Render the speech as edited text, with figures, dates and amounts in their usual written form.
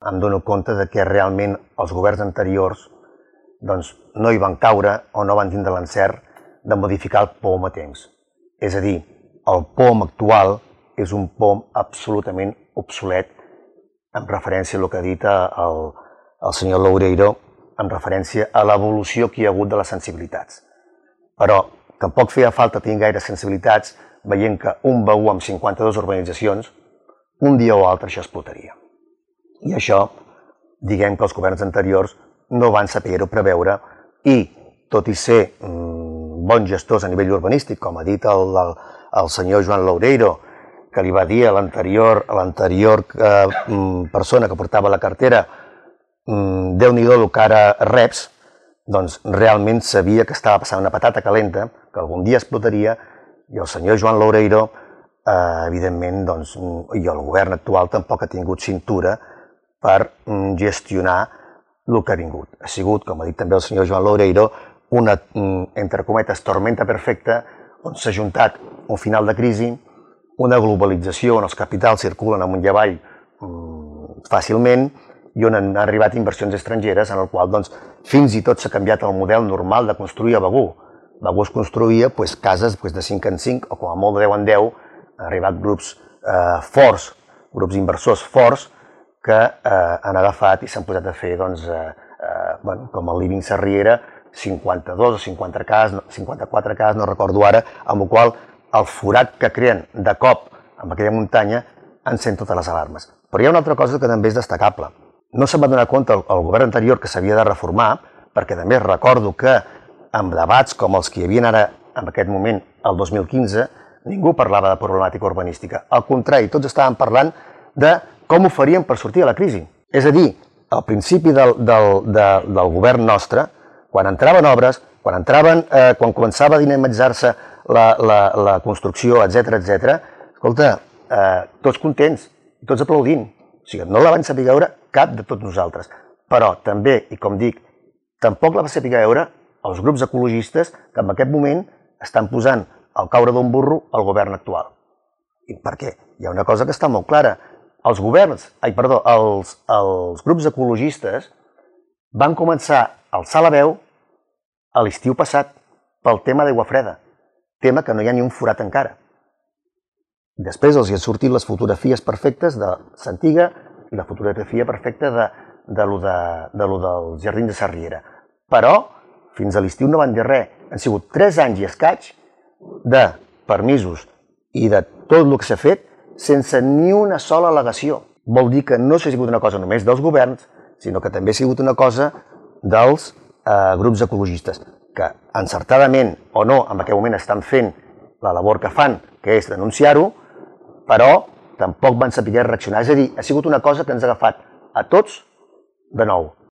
Em dono compte de que realment els governs anteriors no hi van caure o no van tindre l'encert de modificar el POM a temps. És a dir, el POM actual és un POM absolutament obsolet en referència a el que ha dit el senyor Loureiro, en referència a l'evolució que hi ha hagut de les sensibilitats. Però tampoc feia falta tenir gaire sensibilitats veient que un B1 amb 52 urbanitzacions, un dia o altre això explotaria. I això, diguem que els governs anteriors no van saber-ho preveure i, tot i ser bons gestors a nivell urbanístic, com ha dit el senyor Joan Loureiro, que li va dir a l'anterior persona que portava la cartera Déu-n'hi-do el que ara reps, doncs realment sabia que estava passant una patata calenta, que algun dia explotaria, i el senyor Joan Loureiro, evidentment, i el govern actual tampoc ha tingut cintura per gestionar el que ha vingut. Ha sigut, com ha dit també el senyor Joan Loureiro, una, entre cometes, tormenta perfecta, on s'ha juntat un final de crisi, una globalització on els capitals circulen amunt i avall fàcilment i on han arribat inversions estrangeres en el qual fins i tot s'ha canviat el model normal de construir a Begur. Begur es construïa cases de 5 en 5 o com a molt de 10 en 10, han arribat grups forts, grups inversors forts que han agafat i s'han posat a fer, com el Living Sarriera, 52 o 54 cases, no recordo ara, amb el qual el forat que creen de cop amb aquella muntanya encén totes les alarmes. Però hi ha una altra cosa que també és destacable. No se'n va donar compte el govern anterior que s'havia de reformar, perquè també recordo que en debats com els que hi havia ara en aquest moment, el 2015, ningú parlava de problemàtica urbanística. Al contrari, tots estaven parlant de com ho faríem per sortir de la crisi. És a dir, al principi del govern nostre, quan entraven obres, quan començava a dinamitzar-se la construcció, etc., escolta, tots contents, tots aplaudint. O sigui, no la van saber veure cap de tots nosaltres. Però també, i com dic, tampoc la va saber veure els grups ecologistes que en aquest moment estan posant al caure d'un burro al govern actual. I per què? Hi ha una cosa que està molt clara. Els grups ecologistes van començar a alçar la veu a l'estiu passat pel tema d'aigua freda, tema que no hi ha ni un forat encara. Després els hi han sortit les fotografies perfectes de Santiga i la fotografia perfecta de lo del jardí de Sarriera. Però fins a l'estiu no van dir res. Han sigut 3 anys i escaig de permisos i de tot el que s'ha fet sense ni una sola al·legació. Vol dir que no s'ha sigut una cosa només dels governs, sinó que també ha sigut una cosa dels grups ecologistes, que encertadament o no en aquell moment estan fent la labor que fan, que és denunciar-ho, però tampoc van saber reaccionar. És a dir, ha sigut una cosa que ens ha agafat a tots de nou.